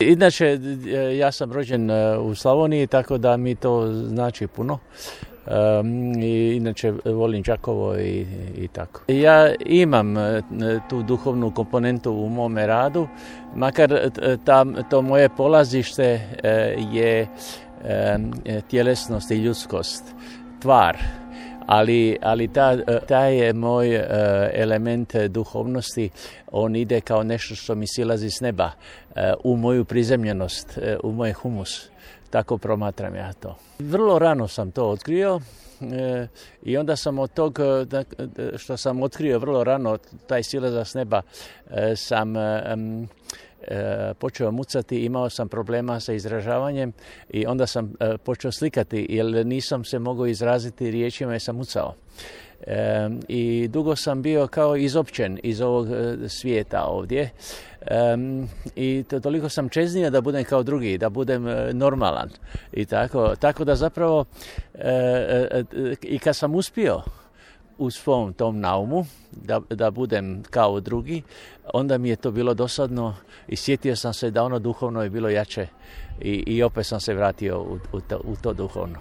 Inače, ja sam rođen u Slavoniji, tako da mi to znači puno. I inače volim Đakovo i tako. Ja imam tu duhovnu komponentu u mome radu, makar to moje polazište je tjelesnost i ljudskost, tvar. Ali taj je moj element duhovnosti, on ide kao nešto što mi silazi s neba, u moju prizemljenost, u moj humus. Tako promatram ja to. Vrlo rano sam to otkrio i onda sam od tog što sam otkrio vrlo rano, taj silazak s neba, sam počeo mucati, imao sam problema sa izražavanjem i onda sam počeo slikati jer nisam se mogao izraziti riječima jer sam mucao. I dugo sam bio kao izopćen iz ovog svijeta ovdje i toliko sam čeznio da budem kao drugi, da budem normalan i tako da zapravo i kad sam uspio u svom tom naumu da budem kao drugi, onda mi je to bilo dosadno i sjetio sam se da ono duhovno je bilo jače i opet sam se vratio u to duhovno.